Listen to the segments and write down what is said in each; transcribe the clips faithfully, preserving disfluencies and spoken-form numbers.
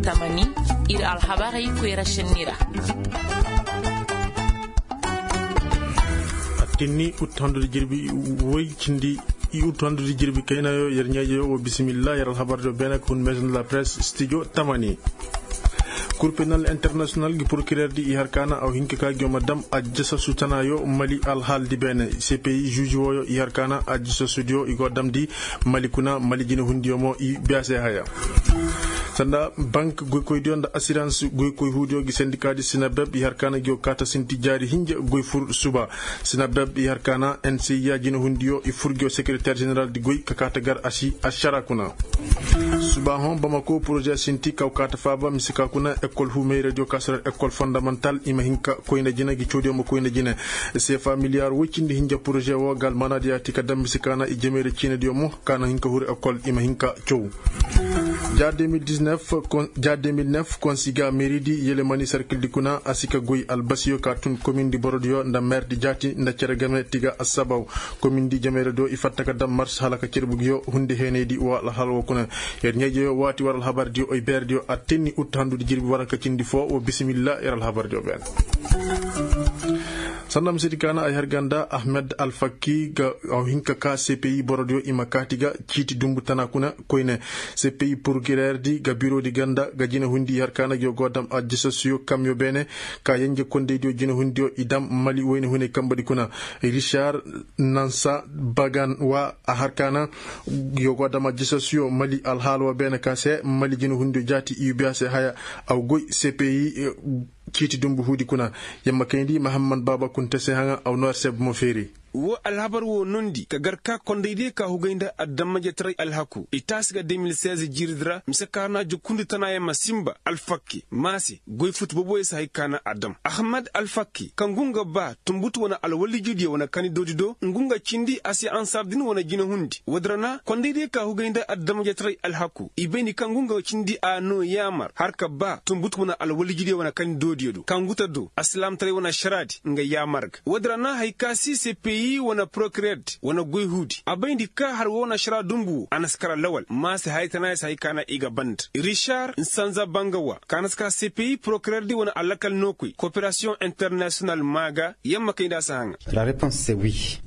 Tamani, ir alhabarey koyra šenni ra. Attinni ut handu da jirbi woy cindi i ut handu da jirbi kaynayo yer ɲaajeyo wo bisimilla yer alhabardiyo beene ka hun maison de la presse studio tamani. Kur penal international gi procureur di i har kaana aw hinka ka gi yo ma dam ajjasasu tanayo mali alhaaldi beene cpi juuži wooyo i har kaana ajjasasudiyo i go damndi mali kuna mali jinehundiyo mo i biya se haya. Sanda bank goykoydiyo nda asirans goykoy huudiyo gi sendikaadi sinabeb i har kaana gi yo kaata sinti jaari hinja goy fur suba. Sinabeb i har kaana nci ya jinehundiyo i fur gi yo sekereteer ženeral di goy ka kaata gar asi ašara kuna. Subaahoŋ bamako poroze sinti kaw kaata faaba mise ka kuna ekol huumayradiyo ka si ra ekol fondamantal i ma hin ka koyna jina gi cawdiyo ma koyna jina. Seefa miliyaar woy cindi hinja poroze woo ga almaanaadiyo yaati ka daŋ mise ka na i jamayra ciinadiyo mo ka na hin ka huru ekol i ma hin ka caw. Ja 2009 konsiga meeridi yelemani sarkildi kuna a si ka goy albasiyo ka tun komindi borodiyo nda meerdi jaati nda cere game tiga assabaw. Komindi jamayra do i fatta ka daŋ mars hala ka cerbugiyo hundi heenaydi wa alhal wo kuna. Yer ɲeejeyo waati war alhabardiyo oy beerdiyo attenni utta handudi jirbi waranka cindi foo wo bisimilla yer alhabardiyo beene. Sanda misedi kaana ay har ganda ahmed alfakki ga aw hinka ka cpi borodiyo i ma kaati ga ciiti dumbu tana kuna koyne. Cpi purkireerdi ga birodi ganda ga jinahundi i har kaana ga yo go dam ajjasasuyo kamyo beene ka yenje kondeydiyo jinahundiyo i dam mali woyne hunay kambadi kuna. Richard nansa bagan wa a har kaana yo go dam ajjasasuyo mali alhaala wo beene ka se mali jinahundiyo jaati i yubiya se haya. Aw goy cpi ciiti dumbu huudi kuna. Yamma kayndi mahammad baaba kunta se haŋa aw noor seb mo feeri. Woo alhabar woo nondi ka gar ka kondaydiyo ka hugay nda adamajetaray alhaku i taasi ga deux mille seize jiiridi ra mise ka na jukkundi tanaayaŋ ma sinba alfakke maase goy futu boboyo si hay ka na a dam ahmed alfakke kaŋ ngu nga ba tumbutu wane alwallijidiyo wane kani doodido ngu nga cindi a si ansar din wane jinahundi woodi ra na kondaydiyo ka hugay nda adamajetaray alhaku i bayndi kaŋ ngu nga cindi a noo yaamar har ka ba tumbutu wane alwallijidiyo wane kani doodiyo do kaŋ ngu ta do alsilaamtaray wane ašaraadi nga yaamar ga woodi ra na hay ka si cpi wane porokireerdi wane goy huudi a bayndi ka har woo na ašara dumbu woo a na si kara lawal maase haytanaayo si hay ka na i ga banda. Rišar nsanza bangawa ka na si kara cpi porokireerdi wane alakal nookoy koperasiyoŋ internasiyonal maa ga yamma kay nda a si haŋa.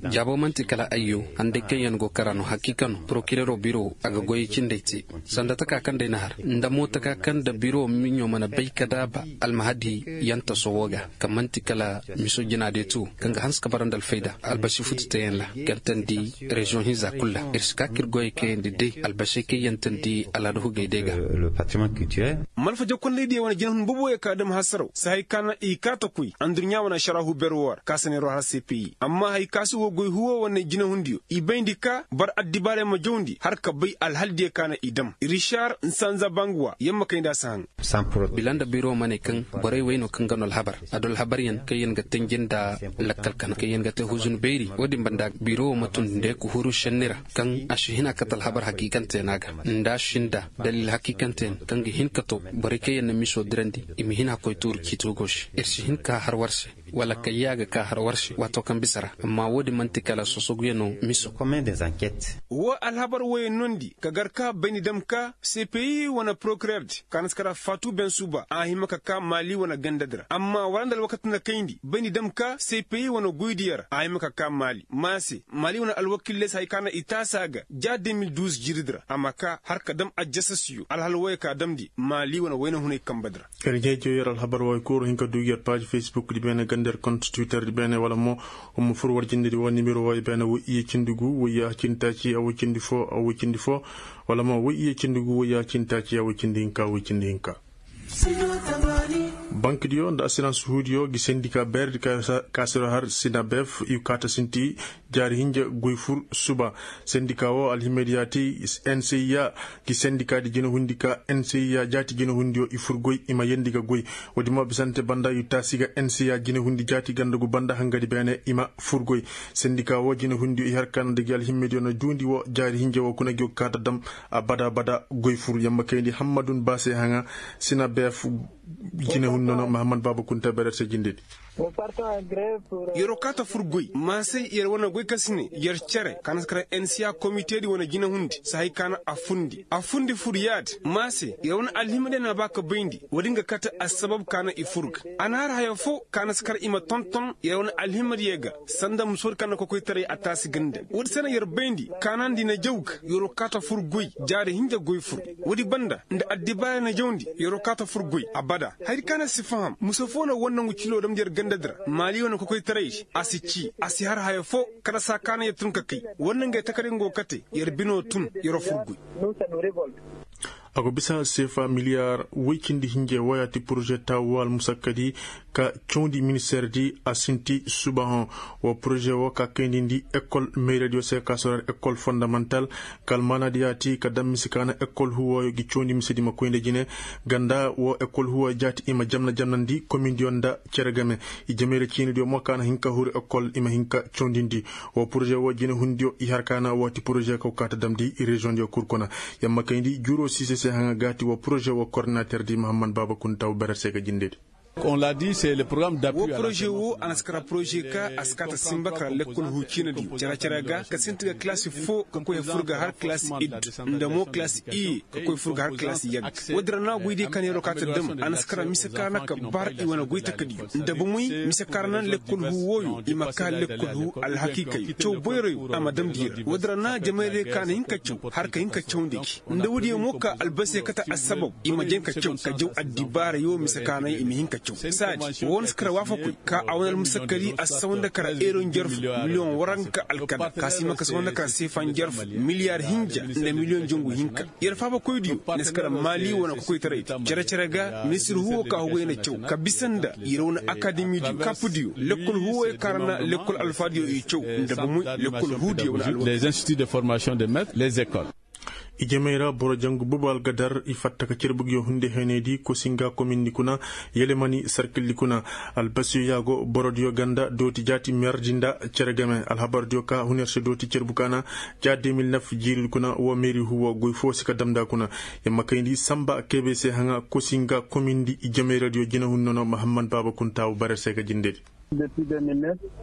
Jaabo man'ti kala ayyo handay kaŋ yaŋ go kara no hakiika no porokireero biro a ga goyey cindey te sanda taka kaŋ day na har nda mo taka kaŋ nda biro miɲo mana bay ka daaba almahadi yaŋ taso wo ga kaŋ man'ti kala miso jina day to kaŋ ga hanse ka bara nda alfayda albasi futu teyaŋ ra gantandi reziyoŋ hinza kulu ra ir si ka ka ir goyey kayandi day albasey kaŋ yantandi alaada hugey day ga. Malfaja kondaydiyo wane jinahun boboyo ka dam hasaraw si hay ka na i kaa ta koy anduɲɲa wane ašaraahu ber woo ra ka si neeroo har cpi amma hay ka si woo goy huwo wane jinahundiyo i bayndi ka bar addibaarey ma jawndi har ka bay alhaldiyo ka na i dam rišar nsanza banguwa yamma kay nda a si haŋ. Bila nda biro ma ne kaŋ borey wey no kaŋ ga no alhabar a du alhabaryaŋ kaŋ yaŋ ga tanji nda lakkal kana kaŋ yaŋ ga te huzun beeri wo-din banda biro wo ma tun nda ya ka huru šenni ra kaŋ a si hin a kate alhabar hakiikanteyaŋ a ga nda a si nda daliil hakiikanteyaŋ kaŋ ga hin ka to borey kaŋ yaŋ na miso dirandi i ma hin a koy tuuru ciiti hugo se ir si hin ka har war se wala kayya ga ka har war se waato kaŋ bisa ra amma wo-din man'ti kala sosoguyaŋo miso. Woo alhabar wooyaŋ noondi ka gar ka bayndi dam ka cpi wane porokireerdi ka na si kara faatu bensuba a hima ka kaa maali wane gandadi ra amma wara nda alwakati na kayndi bayndi dam ka cpi wane goydiyo ra a hima ka kaa maali maase maali wane alwakiiley si hay ka na i taasi a ga ja deux mille douze jiiridi ra a ma kaa har ka dam ajjasasiyo alhal wooyo ka damndi maali wane wayna hunay kambadi ra. Yer ɲeejiyo yer alhabar wooyo kul war hin ka duu gi yer paaz facebook di beene ganda yer kont twitter di beene wala mo war ma fur war jindedi woo nimero wooyo beene woy iyye cindi gu woy yaaha cindi taaci awoy cindi foo awoy cindi foo wala mo woy iyye cindi gu woy yaaha cindi taaci awoy cindi hinka awoy cindi hinka. Bankidiyo nda asirans huudiyo gi sendika beeredi ka siro har sinabef i kaata sinti jaari hinja goy fur suba. Sendika woo alhimmediyaati nci ya gi sendikaadi jinahundi ka nci ya jaati jinahundiyo i fur goy i ma yeendi ga goy. Woodi mo bisante banda i taasi ga nci ya jinahundi jaati ganda gu banda hangadi beene i ma fur goy. Sendika woo jinahundiyo i har ka na nda gi alhimmediyo na juundi woo jaari hinja woo kuna gi woo kaata dam abada abada goy fur yamma kayndi hammadun baase haŋa. Sina beef jinahun nono mahammad baaba kunta berer se jindedi. Yer'o kaa ta fur goy maasey yer wane goy ka si ne yer cere ka na si kar ensiya komiteedi wane jinehundi sahay ka na a fundi a fundi fur yaadi maasey yer wane alhimadiyo na ba ka bayndi woodi nga kate assabab ka na i fur ga a na har haya foo ka na si kar i ma tonton yer wane alhimadiyo ga sanda musoodi ka na kokoytaray a taasi ga nda woodi se na yer bayndi ka na nda i na jaw ga yer'o kaa ta fur goy jaari hinja goy fur woodi banda nda addibaara na jawndi yer'o kaa ta fur goy abada hayadi ka na si faham mise foo na war nangu ciloo damndi yer gandadi ra maali wane kokoytaray a si cii a si har haya foo kala saa ka na yer tun ka kay war nangey takari nga go kate yer binoo tun yer'o fur goy. A go bisa seefa miliyaar woy cindi hinje wooyaati poroze taawu woo almusakkadi ka cawndi ministeerdi a sinti subahoŋ woo poroze woo ka kayndi ndi ekol meerediyo se ka sorar ekol fondamantal ka almaanaadi yaati ka dam mise ka na ekol huwooyo gi cawndi misedi ma koy nda jine ganda woo ekol huwooyo jaati i ma jamna jamnandi komindiyo nda cere game i jamayra ciinidiyo mo ka na hin ka huru ekol i ma hin ka cawndindi woo poroze woo jinehundiyo i har ka na woo ti poroze ka go kaa ta damndi reziyoŋdiyo kul kuna yamma kayndi juuroo siise se haŋa gaati woo poroze woo kordinaterdi mahammad baaba kunta woo berer se ga jindedi. Woo poroze woo a na si kara poroze ka a si kaa ta simba kara lekkol huu ciinadiyo cere-cere ga ka sinti ga kalaasi foo ka koy fur ga har kalaasi id nda mo kalaasi iye ka koy fur ga har kalaasi yagga woodi ra na goydiyo ka na yer'o kaa ta dam a na si kara mise ka na ka bar i wane goy takadiyo nda bomoy mise ka ra na lekkol huu wooyo i ma kaa lekkol huu alhakiikayo caw boyroyo a ma damndi yer woodi ra na jamaydiyo ka na hin ka caw har ka hin ka cawndi gi nda woodiyo mo ka albase kate assabab i ma jan ka caw ka jaw addibaara yoo mise ka na i ma hin ka caw saadi woo na si kara waafakoy ka a wane almusakkadi a si sawa nda kara eero njarfu miliyoŋ waranka alkala ka si hima ka sawa nda kara seefa njarfu miliyaar hinja nda miliyoŋ jangu hinka yer faabakoydiyo na si kara maali wane kokoytaray cere-cere ga ministir huwo ka hugoy na caw ka bisa nda yer wane akademidiyo kapdiyo lekkol huwoyo ka ra na lekkol alfaadiyo i caw nda bomoy lekkol huudiyo wane alwa. Les instituts de formation de maître les écoles. I jamey ra boro jangu boobo algadar i fatta ka cerbu ngiyo hunde heenaydi kosinga komindi kuna yelemani sarkildi kuna albasiyo yaago borodiyo ganda dooti jaati merdi nda cere game alhabardiyo ka huner se dooti cerbu ka na ja deux mille neuf jiiridi kuna wo meeri huwo goy foo si ka damnda kuna yamma kayndi samba kebe se haŋa kosinga komindi i jameyradiyo jinehun nono mahammad baaba kunta wo barer se ka jindedi.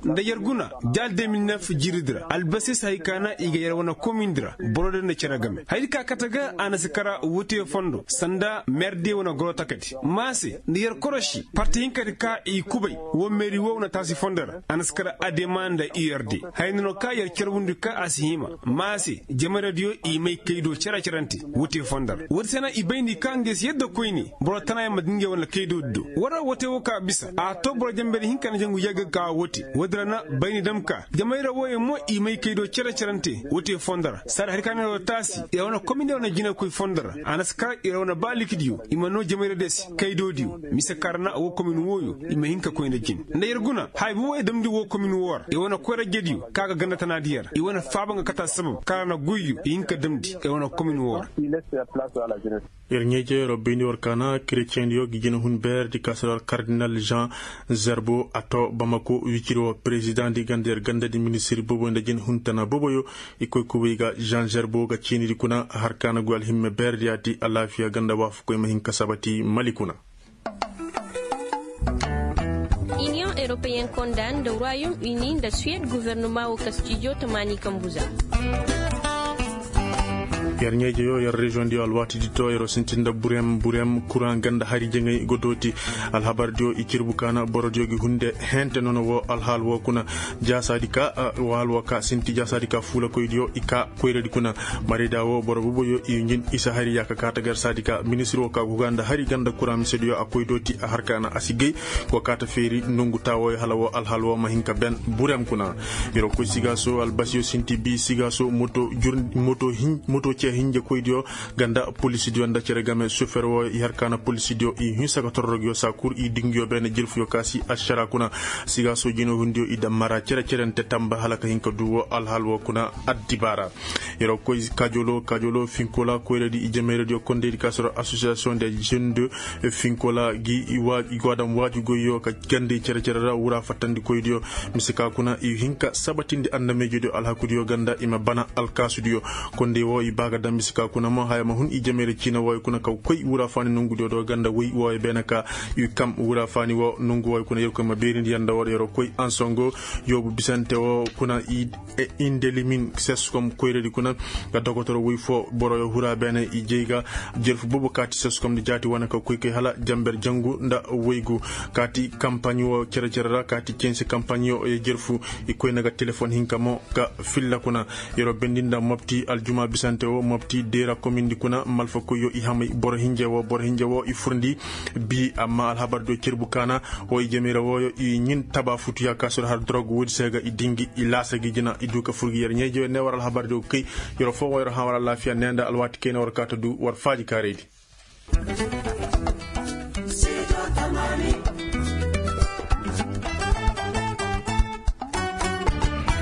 Nda yer guna ja deux mille neuf jiiridi ra albase si hay ka na i ga yer wane komindi ra borodiyo nda cere game hayadi ka kate ga a na si kara wote fondo sanda merdiyo wane goro takadi maase nda yer koroši parti hinkadi ka i kubay wo meeri wo wane taasi fondo ra a na si kara adema nda urd hayadi no ka yer carbundi ka a si hima maase jamaradiyo i may kaydo cere-cerante wote fondo ra wote se na i bayndi ka ngey si yadda koyne boro tanayaŋ ma din ngey wane kaydo do war ra wote wo ka bisa a to boro jambedi hinka na jangu yagga ka wote wote ra na bayni dam ka jamayra wooyo mo i may kaydo cere-cerante wote fondo ra saadi hari ka na yer wo taasi yer wane komine wane jinekoy fondo ra a na si kara yer wane ba likidiyo i ma noo jamayradiyo se kaydodiyo mise ka ra na woo komin wooyo i ma hin ka koy nda jin nda yer guna haya bi wooyo damndi woo komin woo ra yer wane koyrajediyo ka ga ganda tanaadi yer ra i wane faaba nga kate assabab ka ra na goyyo i hin ka damndi yer wane komin woo ra. Yer ɲeeje yer wo bayndi war kaana kereceyendiyo gi jinehun beeredi ka si war kardinal jean zerbo a to bamako wiciri wo perezidaŋdi ganda yer gandadi ministir boobo nda jinehun tana booboyo i koy kubay ga jean zerbo ga ciinidi kuna har kaana goy alhimme beeredi yaati alaafiya ganda waafakoy ma hin ka sabati mali kuna. Iniyoŋ eropeyen konda nda royom uni nda suwed guvernoma wo kastijo tamaani kambuza. Yer ɲeejeyo yer reziyoŋdiyo alwaatidi to yer wo sintin nda burem burem kuraŋ ganda hari jaŋay go dooti alhabardiyo i cirbu kaana borodiyo gi hunde hente nono wo alhaal wo kuna jaasaadi ka waal wo ka sinti jaasaadi ka fuulakoydiyo i ka koyradi kuna marayda wo boro boboyo i njin isa hari yaaka kaata gar saadi ka ministir wo ka guga nda hari ganda kuraŋ misediyo a koy dooti a har kaana a si gay go kaata feeri nongu taawoyo hala wo alhaal wo ma hin ka ben burem kuna yer wo koy sigaaso albasiyo sinti bi sigaaso moto ce hinjekoydiyo ganda polisidiyo nda cere game sofer wo i har kaana polisidiyo i hinsa ka tororogiyo saa kul i dingiyo beene jirfuyo ka si ašara kuna sigaaso jinehundiyo i dammara cere-cerente tamba hala ka hin ka du wo alhaal wo kuna addibaara. Yer wo koy kaajolo kaajolo finkola koyradi i jamayradiyo kondeydi ka soro asosiyasiyoŋ de jeune de finkola gi i go a daŋ waaji goyyo ka gandey cere-cere ra wura fattandikoydiyo mise ka kuna i hin ka sabatindi annameejediyo alhakudiyo ganda i ma bana alkaasudiyo kondey wo i ba ga Ka daŋ bisa ka kuna mo haya ma hun i jamey ra ciina wooyo kuna ka koy wura faani nongu diyo do ganda woy wooyo beene ka i kam wura faani woo nongu wooyo kuna yerkoy ma beerindi yer nda war yeroo koy ansongo. Yoobu bisante woo kuna i indelimin seskom koyradi kuna, ga dokotoro woy foo boroyo hura beene i jey ga jerfu boobo kaati seskom nda jaati wane ka koy kay hala jamber jangu nda woygu. Kaati kampaɲ woo cere-cere ra kaati censi kampaɲ yo ye jerfu. I koyne ga telefon hinka mo ka filla kuna. Yeroo bendi nda mopti aljuma bisante woo mopti deera komindi kuna malfakoy yo i hamay boro hinje woo boro hinje woo i furndi. Bi amma alhabar do cerbu kaana woo i jamey ra wooyo i ɲin taba futu ya kaasur har dorog woodi se ga i dingi i laasa gi jina i du ka fur gi yer ɲeeje ne war alhabar do kay. Yeroo foo woo yeroo hã war alaafiya ne nda alwaati kay ne war kaa ta du war faaji kaaraydi.